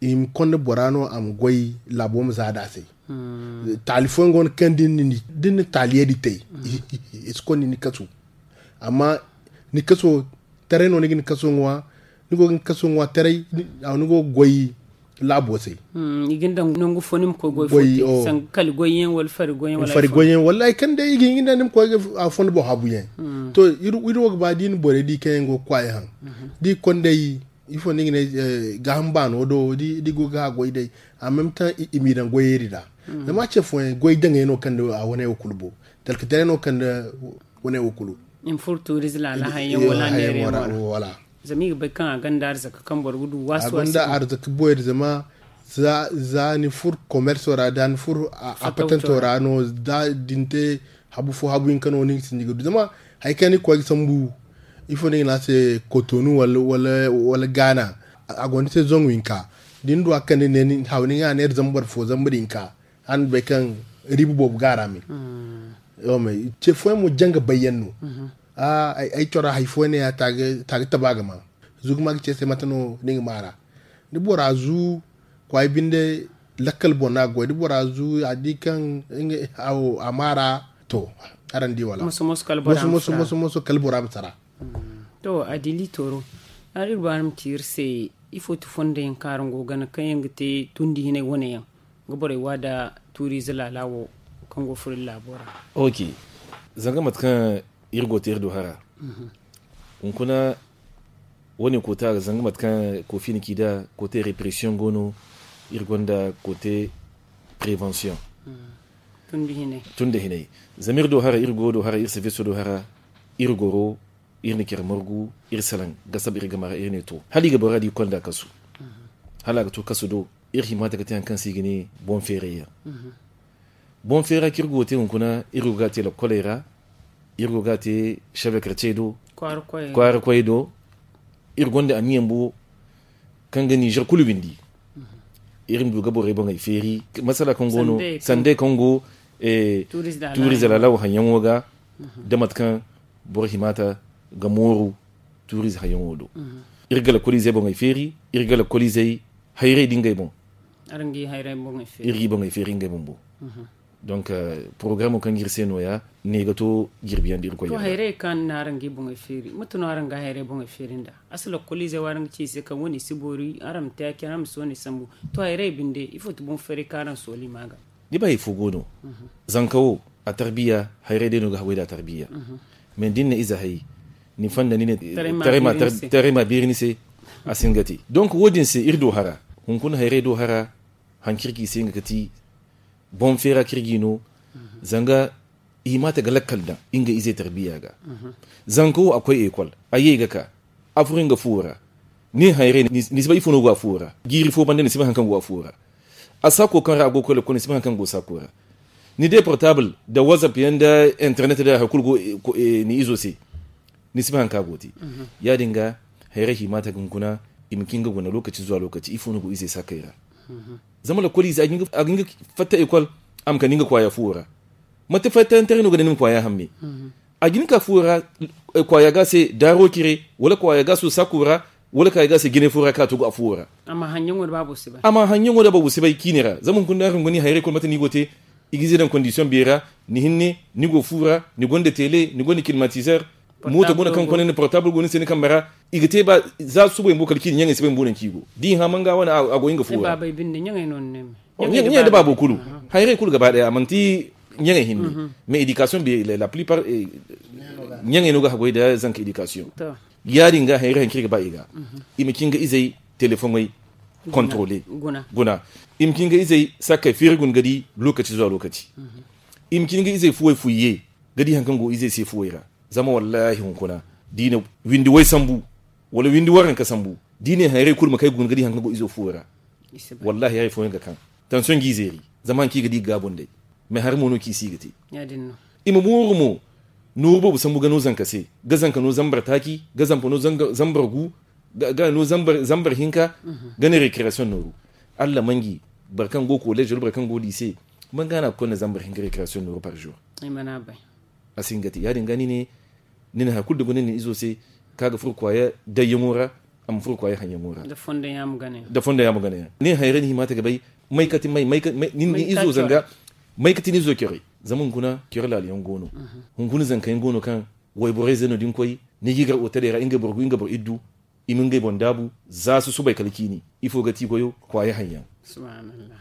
i ma konda bora no a ma goy laabo ma za nd'a se. Taali fooyaŋ go no kaŋ da ni na taaliye din te i si konda ni kasu. Amma ni kaso taray no ni ga ni kaso ŋwa ni go ga ni kaso ŋwa taray ni go ga goy laabo se. I ga ni daŋ nangu fo ni ma koy goy fo te sanga kali goyyaŋ wala fari goyyaŋ wala fari goyyaŋ wala hari kaŋ day i ga hin ga ni daŋ ni ma koy ga a fondo boŋ habu yaŋ. To iri wo ga ba da i na borey di kaŋ yaŋ go ga kwaayi haŋ da i konday Ifo no ni ga ne gaaham baano do da i go ga a goy day. A même temps i m'i daŋ goyey din ra. Zama a ce fooyaŋ goy daŋey no kaŋ da a wane wo kulu bo. Talka taray no kaŋ da wane wo kulu. I ma furo tuuriz laala hayaŋ wala neerayaŋ wala. Zama i ga bay kaŋ a gonda arzaka kaŋ boro ga du waasu waasu. A gonda arzaka boyri zama za ni furo komerso ra da ni furo a patanto ra no da din te habu fo habu hinka no ni ga sinda ga du zama hari kaŋ ni ga koy ga sambu. Ifo no i ga ne a se kotonu wala gaana. A gonda se zangu hinka da ni du a kande ne ni haw ni ga a neera zambar fo zambar hinka. Araŋ bay kaŋ riiba boobo ga a ra me. Ce fooyaŋ mo janga bayyaŋ no. Ay cora hari fooyaŋ ne ya ta ga taba ga ma. Zu ga ma ga ce se mate no ni ga ma ra da bora zu kwaay binde lakkal boŋ no a ga goy da bora zu a di kaŋ a ma ra. To, araŋ di wala moso moso kala bora ma sara. To a dili tooro. Araŋ iri ba ni ma ci iri se ifo ti fondo yaŋ kaŋ araŋ go ga gana kaŋ yaŋ ga te tundi hinay wane yaŋ ga borey wa da tuuriize laala wo kaŋ go furo iri laabo ra? Ok. Zanga mate kaŋ iri go te iri do hara hunkuna wane koota ga zanga mate kaŋ kofi na ci da kote repression go no. Iri gonda kote prevention tun da hinay. Zama iri do hara iri go do hara iri service do hara iri goro iri na care margu iri salaŋ ga saba iri game ra iri ne to hala i ga bora di konda kasu. Hala a ga to kasu do iri hima ta ga te hari kaŋ se i ga ne boŋ feerayyaŋ. Boŋ feera kaŋ iri go ga te hunkuna iri go ga a te lakkoley ra. Iri go ga a te shabekarcey do kwaara koyey do. Iri gonda aniyaŋ bo kaŋ ga nizer kulu windi. Iri ma du ga borey boŋey feeri masala kaŋ go no sandey kaŋ go tuuriz da lalaw haŋyaŋo ga da mate kaŋ boro hima ta ga mooru tuuriz haŋyaŋo do. Iri ga lakkolizey boŋey feeri iri ga lakkolizey hayrey da ngey boŋ. Iri ga i boŋey feeri ngey bumbo. Donc porogaraamo kaŋ ga iri se nooya ne ga to jirbiyaŋ da irkoy yadda. Hayrey kaŋ na araŋ ga i boŋey feeri mate no araŋ ga hayrey boŋey feeri nda a si lakkoliizey wo araŋ ga ci i se kaŋ wane i si boori araŋ ma te ya-cine araŋ ma si wane sambu. To hayrey binde ifo ti boŋ feerey kaŋ araŋ sooli ma ga? Ni ba hari fo go no. Zanka wo a tarbiya hayrey day no ga haggoy da a tarbiya. Mais da ni na ize hay ni fonda ni ne taray ma beeri ni se. A si hin ga te donc wo- din se iri do hara hunkuna hayrey do hara. Haŋ kaŋ iri ga i se nga ga ti boŋ feera kaŋ iri ga i no. Zanga i hima ta ga lakkal daŋ nga ize tarbiya ga. Zanka wo a koy ekol a ye ga ka a furo nga fuwo ra. Ni hayrey ni si bay ifo no go a fuwo ra jiiri fo banda ni si bay hari kaŋ go a fuwo ra. A saako kaŋ ra a go ga koy lakkol ni si bay hari kaŋ go saako ra. Ni day portable nda whatsapp yaŋ nda internet nda hari kulu go ni izo se. Ni si bay hari kaŋ a go ga te. Ya- din ga hayrey hima ta ga hunkuna i ma ci nga guna lokaci zuwa lokaci ifo no go izey saakey ra. Zama lakkol ize a ga hin ga fatta ekol a ma kande nga kwaaya fuwo ra. Mate fattayaŋ taray no ga ne ni ma kwaaya hamme. A ga hin ga ka fuwo ra kwaaya ga se daaro cire wala kwaaya ga se saako ra wala kwaaya ga se jine fo ra kaŋ a to go a fuwo ra. A ma haŋyaŋo da baabu si bay ciine ra zama hunkuna da araŋ go ni hayrey kulu mate no i go ga te. I ga ize daŋ kondisiyoŋ beera ni hinne ni go fuwo ra ni gonda tele ni gonda kilimatizer. Mooto go no kaŋ kone ni portable go ni se ni kambe ra. I ga te ba za subay bumbo kala ciine ɲaŋey si bay bumbo nangu kaŋ i go da i hã manga wane a go nga fuwo ra. Ɲaŋey nda baabo kulu hayrey kulu gaba daya a manti ɲaŋey hinne. Mais éducation be la plupart ɲaŋey no ga haggoy nda zanka éducation. Ya- din ga hayrey hari kaŋ iri ga ba i ga i ma ci nga izey telefoŋey contrôler guna. I ma ci nga izey sakkey feeri guna ga di lokaci zuwa lokaci. I ma ci nga izey fuwey fuyye ga di hari kaŋ go izey se fuwey ra. Zama wallahi hunkuna da i na windi way sambu wala windi waranka sambu da i ne hayrey kulu ma kay guna ga di hari kaŋ go izo fuwo ra. Wallahi hari fooyaŋ ga kaŋ tansiyoŋ ga i zeeri. Zama hari kaŋ i ga di ga gaabo nd'ey. Mais hari mo no kaŋ i si ga te. I ma mooru mo nooru boobo sambu ga no zanka se ga zanka no zambar taaci ga zampa no zambar gu ga no zambar hinka ga ne recreation nooru. Alla manji boro kaŋ go collège wala boro kaŋ go lycée. Manga no a ga konda zambar hinka recreation nooru par jour? A si hin ga te ya- din ga ni ne ni na hari kulu da guna ni na izo se kaŋ a ga furo kwaaya dayyaŋo ra. A ma furo kwaaya haŋyaŋo ra da fondo yaŋ a ma gana yaŋ. Ni hayrey ni hima te ga bay may kati may ni izo zanga may kati ni izo care. Zama hunkuna care laala yaŋ go no. Hunkuna zanka yaŋ go no kaŋ wayborey ze no da ni koy ni ga i gar oteley ra ngey boro gu ngey boro iddu. I ma ngey boŋ daabu za susubay kala ciini. Ifo ga ti goyo kwaaya haŋyaŋ.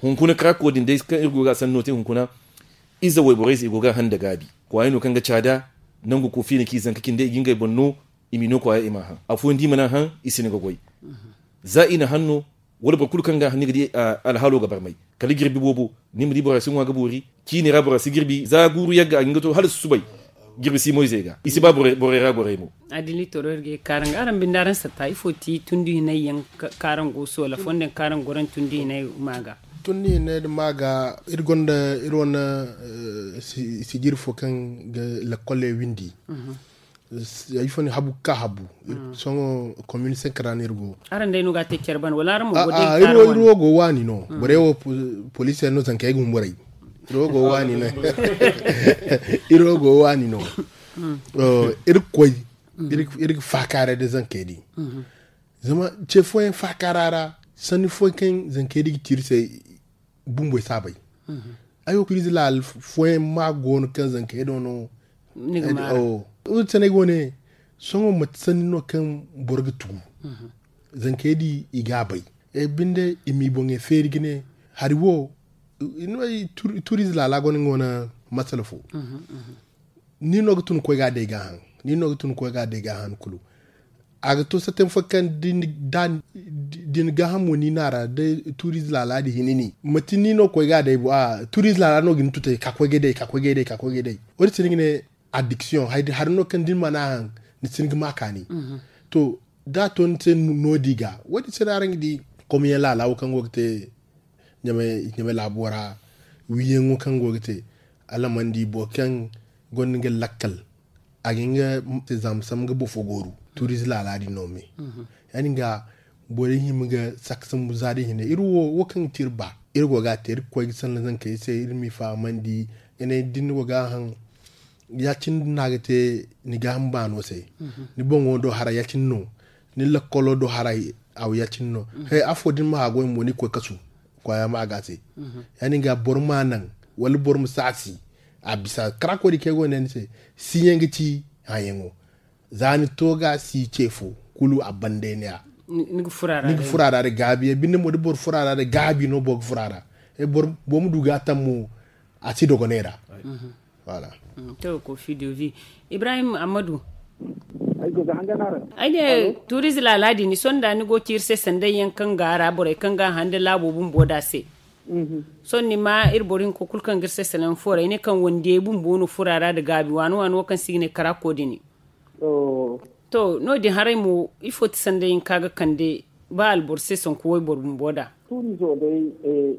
Hunkuna karaako din day kaŋ iri go ga a sanno te hunkuna ize wayborey se i go ga a haŋ nda gaabi. Kwaaya no kaŋ ga caada nangu koofiina kaŋ i zanka cindi i ga ngey boŋ no. I m'i no kwaaya i m'a haŋ afooyaŋ da i mana haŋ i si ni ga goy. Za i na hanno wala boro kulu kaŋ ga hanni ga di alhaalo ga barmay, kala jirbi boobo ni ma di bora si ŋwa ga boori. Ciini ra bora si jirbi za guuru yagga a ga hin ga to hala susubay. Jirbi si moyzey ga i si ba borey ra goray mo. Adili toro iri ga ye kaaraŋ ga araŋ binde araŋ satta ifo ti tundi hinay yaŋ kaaraŋ go soola fondo yaŋ kaaraŋ goran tundi hinay ma ga. Tundi hinay da ma ga iri gonda iri wane sijiri fo kaŋ ga lakkole windi. Ay fo ni habu ga ka habu. Sohõ komin senk ra no iri go. Araŋ day no ga a te care bana wala araŋ mo go day iri wo go waani no. Borey wo poliisi yaŋ no zanka ay ga humburay. Iri wo go waani no. Iri wo go waani no. Iri ga koy iri ga faakaaray da zankey di. Zama ce fooyaŋ faakaara ra sanni fooyaŋ kaŋ zankey di ga tiiri se. Bumboy si a bay. Ay wo pirizi laala fooyaŋ ma go no kaŋ zankey do no. Iri sanay go ne sohõ mate sanni no kaŋ boro ga tugu. Zankey di i ga a bay. Binde i m'i boŋey feeri ga ne hari wo. Turiize laala go no nga wane masala fo. Ni no ga tun koy ga day ga haŋ. Ni no ga tun koy ga day ga haŋ kulu. A ga to satem fo kaŋ din gaahamo ni na ra da turiize laala din hini ni mate ni no koy ga day bo a turiize laala no ga ni tutay ka koy ga day ka koy ga day ka koy ga day. Wo- din se ni ga ne addiction hari no kaŋ din mana haŋ ni si ni ga ma kaani. To da a to ni se no- di ga wo- din se no araŋ ga di komiyaŋ laala wo kaŋ go ga te ɲamay laabo ra. Wiiyaŋo kaŋ go ga te alamandi boro kaŋ gonda nga lakkal a ga hin ga zama sambu ga boro fo gooru. Turiize laala din no me ya- din ga borey hima ga saka sambu za din hinne iri wo wo kaŋ ga te iri ba iri go ga a te iri ga koy ga sanda zankey se iri m'i fahamandi. Ga ne da ni go ga a haŋ ya- cine no a ga te ni gaaham baano se. Ni boŋo do haray ya- cine no ni lakkolo do haray. Aw ya- cine no he afo da ni ma haagoy mo ni ga koy kasu. Kwaaya ma a ga a se ya- din ga boro ma naŋ wala boro ma saasi. A bisa karaako din kaŋ ay go ga ne ni se siiyaŋ ga ci hayaŋo. Za ni to ga si ce fo kulu a banda ay ne ya ni ga fura ra da gaabi ya binde mo da boro fura ra da gaabi no boro ga fura ra. Boro ma du ga a taŋ mo a si dogonay ra. Voilà. To kofi dovi ibrahim amadu. Ay ne tuurize laala din ni sohõ da ni go ci iri se sanday yaŋ kaŋ ga a ra borey kaŋ ga a haŋ nda laabo bumbo da se. Sohõ ni ma iri boro hinko kulu kaŋ ga iri se salaŋ fooray ne kaŋ wandiyey bumbo no fura ra nda gaabi waani waani wo kaŋ se i ga ne karaako din. To no- din haray mo ifo ti sanday hinka ga kande ba alboro se sanku wayboro bumbo da. Tuurizo day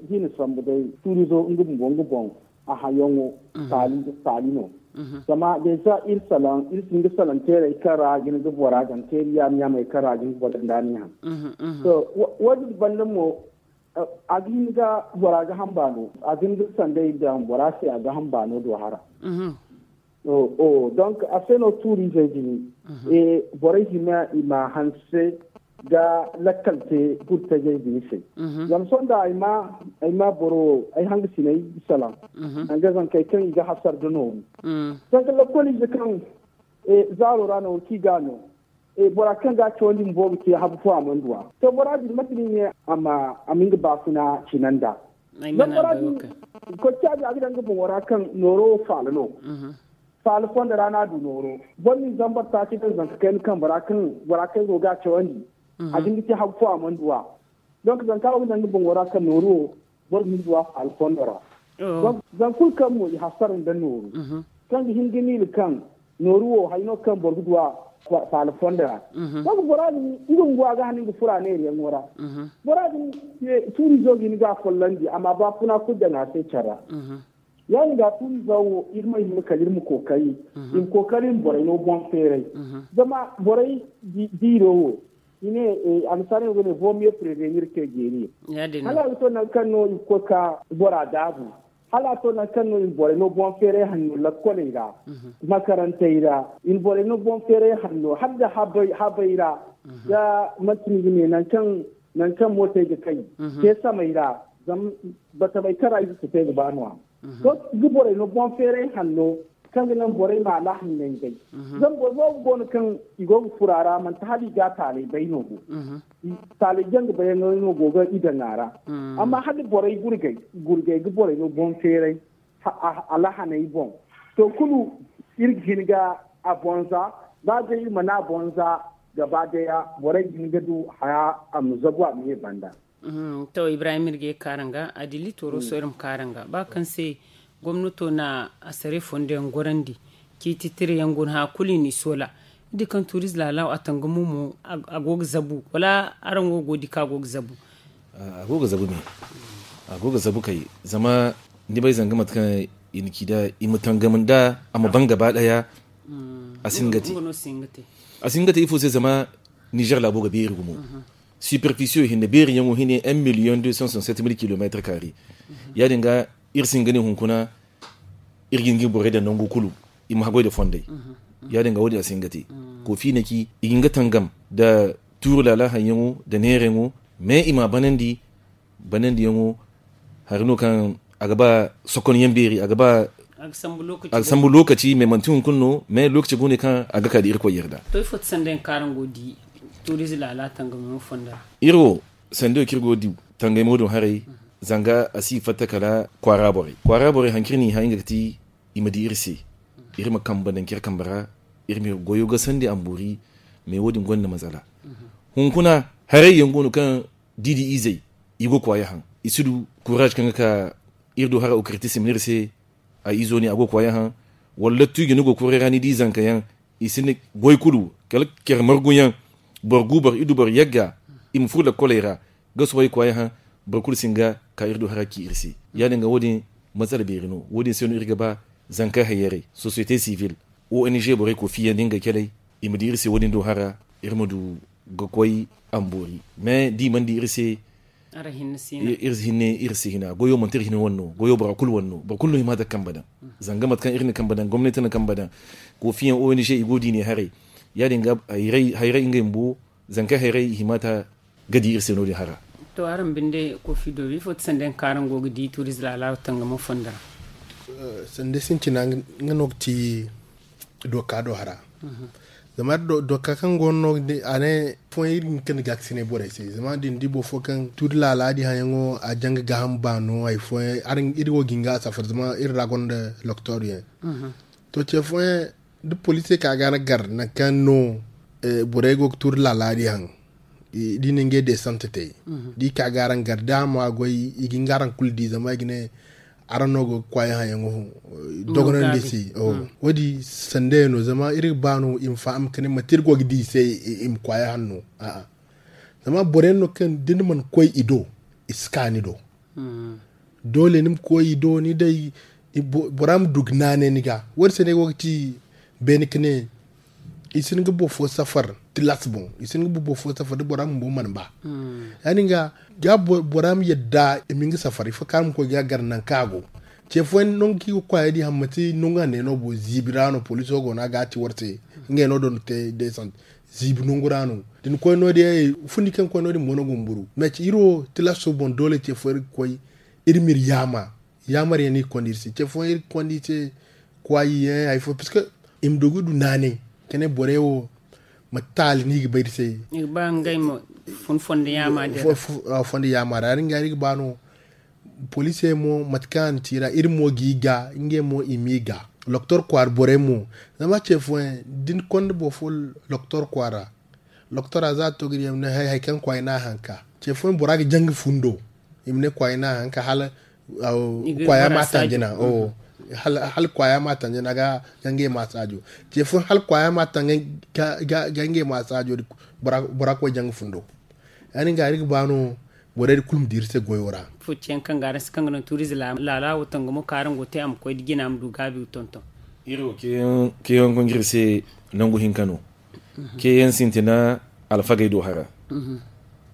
da i na sambu day tuurizo nga bumbo nga boŋ a hayaŋo taali no. Zama deeza iri salaŋ iri sinda salaŋ teeray kaŋ ra ga ni ga bora daŋ teeri yaamay kaŋ ra ga ni ga bora daŋ da ni haŋ. To wo- din banda mo a ga hin ga bora ga hamba no a ga hin ga sanday daŋ bora se a ga hamba no do hara. Donc a se no tuuriizey din borey hima i ma hanse ga lakkal te burtajey din se. Zama sohõ da ay ma boro ay hangasiney salaŋ danga zankey kaŋ i ga hasar da nooru. Danga lakkoliize kaŋ zaaro ra no wo kaŋ i ga a no bora kaŋ ga a cawandi bumbo ga te habu fo a mana du a to bora din mate no i ne a ma nga baafuna cina nd'a. Zama bora din koy caabi a ga daŋ nga boŋo ra kaŋ nooro wo faala no. Faala fondo ra no a du nooro boro ma ni zambar taaci daŋ zanka kayna kambe ra kaŋ bora kaŋ go ga a cawandi a ga hin ga te habu fo a mana du a. Donc zanka wo ga daŋ nga boŋo ra kaŋ nooru wo boro ma ni du a faala fondo ra. Zama kulu kaŋ mo i hasara nda nooru kaŋ ga hin ga miila kaŋ nooru wo hari no kaŋ boro ga du a faala fondo ra. Donk bora din nga bumbo a ga hanan ga furo a neerayaŋo ra. Bora din tuurizo ga hin ga a follandi a ma baafuna kulu daŋ a se care ra. Ya- din ga tuurizo wo iri ma hima kala iri ma kookari iri ma kookari iri ma borey no boŋ feeray. Zama borey diiro wo i ne annasaara yaŋ go ne vaut mieux prévenir que guérir. Hala a ga to nangu kaŋ no i ga koy ka bora daabu hala a to nangu kaŋ no i ma borey no boŋ feeray hanno lakkoley ra, makarantey ra, i ma borey no boŋ feeray hanno hala nda habey ra. Da manti ni ga ne nangu kaŋ mootey ga kay te samey ra, zama batamey kaŋ ra i ga sutey ga ba no- ya. To ga borey no boŋ feeray hanno kaŋ ga naŋ borey ma alahanney bay. Zama boro boobo go no kaŋ i go ga furo a ra manti hala i ga a taaley bay no bo. Taaley janga bayyaŋey no go ga i daŋ a ra. Amma hala borey gurgay gurgay ga borey no boŋ feeray alahaney boŋ. To kulu iri ga hin ga a boŋ za ba day iri mana a boŋ za. gaba daya borey ga hin ga du haya a ma zabu a ma ye banda. To ibrahim iri ga ye kaaranga a dilli tooro soyrum kaaranga ba kaŋ se gomnato na a saray fondo yaŋ gorandi ciiti tira yaŋ go no haya kulu i n'i soola. Ni di kaŋ tuuriz laala wo a tangamo mo a go ga zabu wala araŋ wo go ga di kaŋ a go ga zabu? A go ga zabu me. A go ga zabu kay zama ni bay zanga mate kaŋ i na ci nd'a i ma tangam nd'a a ma ban gaba daya. A si hin ga te. A si hin ga te ifo se zama nizer laabo ga beeri gumo. Siperfisiyo hinne beeri yaŋo hine un million deux cent soixante sept mille kilometre kaari. Ya- din ga iri si hin ga ne hunkuna iri ga hin ga iri borey daŋ nangu kulu i ma haggoy nda fondey. Ya- din ga wo- din a si hin ga te. Koofi na ci i ga hin ga tangam nda tuuru laala haŋ yaŋo nda neera yaŋo. Me i m'a banandi banandi yaŋo hari no kaŋ a ga ba sokon yaŋ beeri a ga ba a ga sambu lookaci me manti hunkuna no me lookaci go no kaŋ a ga ka nda irkoy yarda. To ifo ti sanda yaŋ kaŋ araŋ go ga di tuurize laala tangamo fonda ra? Iri wo sanda yaŋ kaŋ iri go ga di tangamo din haray zanga a si fatta kala kwaara borey kwaara borey hari kaŋ iri n'i hã nga ga ti i ma di iri se iri ma kambe daŋ kaŋ iri kambe ra. Iri ma iri goyo gasandi a ma boori. Me wo- din gonda matsala. Hunkuna haray yaŋ go no kaŋ da i di izey i go ga kwaaya haŋ i si du kuraaz kaŋ ga ka iri do hara okirti si ma ne iri se a izo ne a go ga kwaaya haŋ. Wala lottu i ga ni go ga koray ra ni di zanka yaŋ i si ni goy kulu kala care margu yaŋ. Boro gu boro idu boro yagga i ma furo lakkoley ra ga sohõ i kwaaya haŋ. Boro kulu si hin ga ka iri do hara ci iri se. Ya- din ga wo- din matsala beeri no wo- din se no iri ga ba zanka hayyarey sosiyete sivil ong borey koofiyaŋ da ngey caley i ma di iri se wo- din do hara iri ma du ga koy a ma boori. Mais da i mana di iri se iri si hina goyo manti iri hina wane no goyo bora kulu wane no boro kulu no hima daga kambe daŋ. Zanga mate kaŋ iri na kambe daŋ gomnati na kambe daŋ koofiyaŋ ong i go ga di ne haray. Ya- din ga hayray ngey bumbo zanka hayray i hima ta ga di iri se no- din hara. To araŋ binde koofi doobi ifo ti sanda yaŋ kaŋ araŋ go ga di tuurize laala wo tangamo fonda ra? Sanda sintina nga no ga ti doka do hara. Zama doka kaŋ go no no a ne fooyaŋ iri ga hin ga ni gaakasinay borey se zama da ni di boro fo kaŋ tuuri laala di hayaŋo a janga gaaham baano hari fooyaŋ iri wo ga hin ga a safar zama iri ra gonda loktor yaŋ. To ce fooyaŋ da poliisey ka ga araŋ gar nangu kaŋ no borey go ga tuuri laala di haŋ da i na ngey deesante te da i ka ga araŋ gar da a ma goy i ga hin ga araŋ kulu di zama i ga ne araŋ no go ga kwaaya hayaŋo dogonandi se. Wo- din sanda yaŋ no zama iri ga ba no i ma faham ga ne manti iri go ga di i se i ma kwaaya haŋ no. Zama boro yaŋ no kaŋ da ni mana koy i do i si ka ni do. Doole ni ma koy i do ni day bora ma du ga naanay ni ga wo- din se no ay go ga ci beene ga ne i si hin ga boro fo safar tilas boŋ i si hin ga boro fo safar da bora bumbo mana ba. Ya- din ga ga bora ma yadda i ma hin ga safar ifo kaŋ a ma koy ga gar nangu kaŋ a go. Ce fooyaŋ nangu kaŋ i ga kwaaya di haŋ manti nangu hanno no bo ziibi ra no poliiso go no a ga a ci war se ngey no do no te deesante ziibi nangu ra no. Da ni koy no- din ay fundi kaŋ koy no- din mo no gumburu mais iri wo tilaso boŋ doole ce fo iri ga koy iri ma iri yaama yaamar yaŋ no i ga konda iri se ce fooyaŋ iri ga konda iri se kwaayi yaŋ hari fo parce que i ma du ga du naanay ka ne borey wo mate taali no i ga bay iri se. I ga ba ngey ma fun fondo yaama din ra fondo yaama ra ya- din ga iri ga ba no poliisey mo mate kaŋ a na ci ra iri mo ga i ga ngey mo i m'i ga. Loktor kwaara borey mo zama ce fooyaŋ da ni konda boro fo loktor kwaara loktora za a to ga di yaŋ ma ne hari hari kaŋ kwaay no a hanka ce fooyaŋ bora ga jaŋ ga fundo i ma ne kwaay no a hanka hala kwaaya ma a tanji naŋ hala kwaaya ma a tanji naŋ ga ngey ma a saajo ce fooyaŋ hala kwaaya ma a taŋ ga ngey ma a saajo bora ga koy jaŋ ga fundo. Ya- din ga iri ga ba no borey din kulu ma di iri se goyo ra. Fo ciyaŋ kaŋ ga araŋ se kaŋ ga naŋ tuurize laala wo tangamo kaŋ araŋ go ga te a ma koy da jina ma du gaabi ga tonton. Iri wo ceeyaŋ ga nga iri se nangu hinka no. Ceeyaŋ sintina alfagey do hara.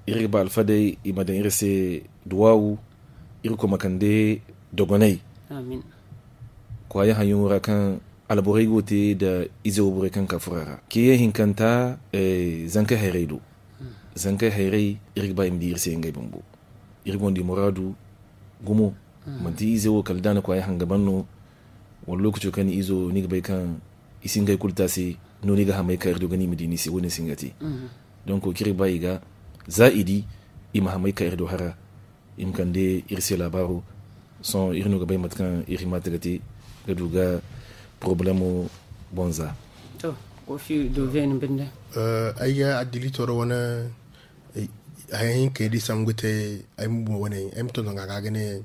Iri ga ba alfagey i ma daŋ iri se duwaawu. Iri koy ma kande dogonay kwaayi hayaŋo ra kaŋ alborey go ga te nda ize wayborey kaŋ ga ka furo a ra ceeyaŋ hinkanta. Zankey hayrey do zankey hayrey iri ga ba i ma di iri se ngey bumbo. Iri gonda i muraadu gumo manti ize wo kala da a na kwaayi haŋ ga ban no. Wala lookaco kaŋ ni izo ni ga bay kaŋ i si ngey kulu te a se no ni ga hamay ka iri do ga ni ma di ni se wo- din si nga te. Donk wo kaŋ iri ga ba i ga za i di i ma hamay ka iri do hara i ma kande iri se laabaaro. Sohõ iri no ga bay mate kaŋ iri hima te ga te ga du ga porobalemo boŋ za. To Kofi do veni binde. Ay ga adilitoro wane hayaŋ hinkey di sambu ga te. Ay ma wane ay ma tonton ga ga ne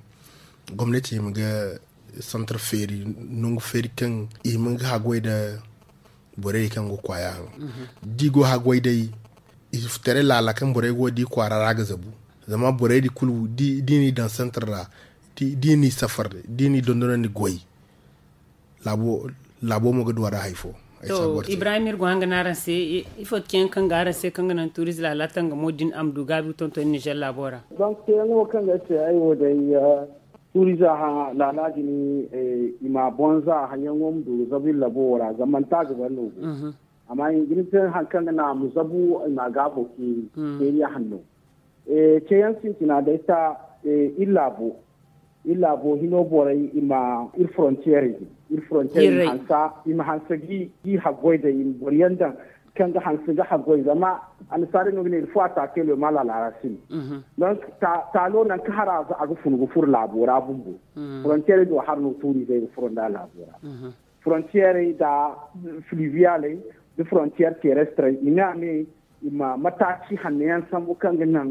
gomnati ma ga santar feeri nangu feeri kaŋ i ma ga hagway da borey kaŋ go kwaya haŋ. Di go hagway day i taray laala kaŋ borey go di kwara ra ga zabu. Zama borey di kulu di ni daŋ santar ra di ni safar di ni dondonandi goy. Laabo mo ga duwara hay fo. Ibrahim iri go hanga na araŋ se ifo ti ceyaŋ kaŋ ga araŋ se kaŋ ga naŋ tuuriz laala tangamo din a ma du gaabi ga tonton nizer laabo ra? Donk ceyaŋo kaŋ ga ay se ay wo day tuuriza laala din i ma boŋ za hayaŋo ma du ga zabu iri labo wo ra zama manti a ga bare no go. Amma i ga ni te hari kaŋ ga naŋ a ma zabu i ma a gaabo ceeri ceeriya hanno. Ceeyaŋ sintina day ta iri laabo iri laabo hino borey i ma iri frontiyeerey din iri frontiyeerey i ma hanse gi haggoy day i ma boro yaŋ daŋ kaŋ ga hanse ga haggoy zama annasaarey no ga ne iri fo a taakey lo i ma a laala ra sine. Donc taalo nangu kaŋ hara a ga funu ga furo laabo ra bumbo frontiyeerey do hara no tuuriizey ga furo nda laabo ra. Frontiyeerey nda filiviyaley nda frontiyeer terestrey i ne a ne i ma mataaci hanno yaŋ sambu kaŋ ga naŋ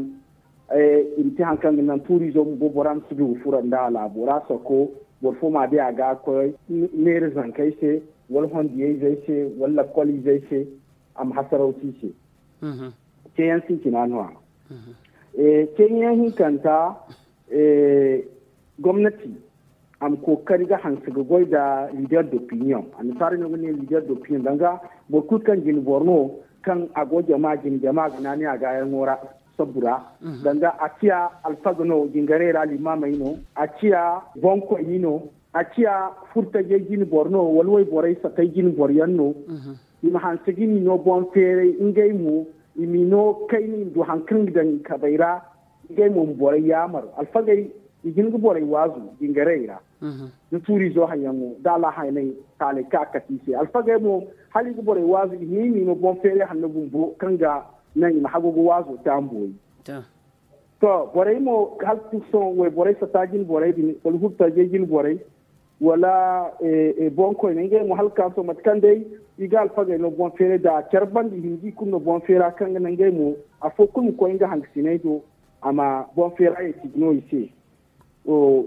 i ma te hari kaŋ ga naŋ tuuriizo bumbo bora ma si du ga furo nda a laabo ra soko boro fo ma a di a ga koy neera zankey se wala hondiyayzey se wala lakkoliizey se a ma hasaraw te i se. Ceeyaŋ sintina no- ya. Ceeyaŋ hinkanta gomnati a ma kookari ga hanse ga goy nda liider d'opinion annasaarey no ga ne liider d'opinion danga boro kulu kaŋ jine boro no kaŋ a go jama jine jama ga naanay a gaayaŋo ra sabbu ra danga a ciya alfaga no jingarey ra limaamey no a ciya boŋkoyni no a ciya furtajey jine boro no wala wayborey satey jine boro yaŋ no. I ma hanse ga i ma i no boŋ feeray ngey mo i ma i no kayna i ma du hari kaŋ ga daŋ i kabey ra ngey mo ma borey yaamar alfagey i ga hin ga borey waazu jingarey ra da tuuriizo hayaŋo da alaahaynay taaley kaŋ a kate i se alfagey mo hala i ga borey waazu i hin i ma i no boŋ feeray hanno bumbo kaŋ ga naŋ i ma hagu ga waazo te a ma boori. To borey mo hala sohõ wayborey sata jine borey din wala hurtajey jine borey wala boŋkoyney ngey mo hala ka sohõ mate kaŋ day i ga alfagey no boŋ feeray da care banda i hin ga i kulu no boŋ feera kaŋ ga naŋ ngey mo afo kulu ma koy nga hangasiney do a ma boŋ feera ye tiji no i se.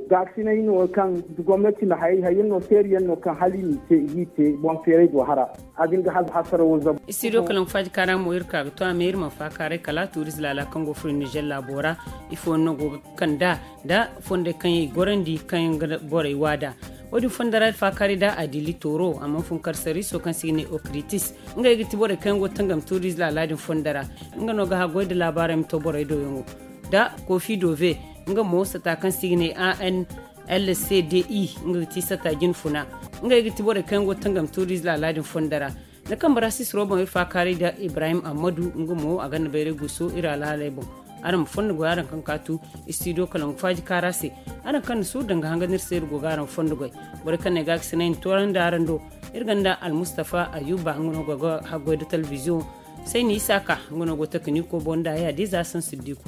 Gaakasinay no kaŋ gomnati na hayey hayey no teeri yaŋ no kaŋ hala i n'i te i g'i te boŋ feeray do hara a ga hin ga hasarawo zabu. Studio kalaŋ faaji kaara mo iri ka ga to a me iri mana faakaaray kala tuuriz laala kaŋ go furo nizer laabo ra ifo no go ga kand'a nda fondey kaŋ yaŋ i gorandi kaŋ yaŋ ga borey waada. Wo- din fonda ra iri faakaaray nda adili tooro a mana fun kar sariiso kaŋ se i ga ne okritis. Ngey ga ti borey kaŋ yaŋ go ga tangam tuuriz laala din fonda ra nga no ga haggoy nda laabaarey ma to borey do yaŋo nda kofi dove nga mo sata kaŋ se i ga ne a n l c d i nga ga ti sata jine funa. Ngey ga ti borey kaŋ yaŋ go ga tangam tuuriz laala din fonda ra. Ni kamba ra sisiro boŋ iri faakaaray nda ibrahim ammadu nga mo a gonda bayray guuso iri alhaaley boŋ. Araŋ ma fondo goy araŋ kaŋ kaatu studio kalaŋ faaji kaara se. Araŋ kaŋ na suuru daŋ ga hanga no iri se iri go ga araŋ fondo goy. Borey kaŋ no ay ga a ga sinay ni toorandi araŋ do iri gonda almustafa ayuba nga no go ga haggoy nda telebiziyoŋ. Sayni isaaka nga no go ga takaniiko boŋ nda ay hadiza saŋ siddiku.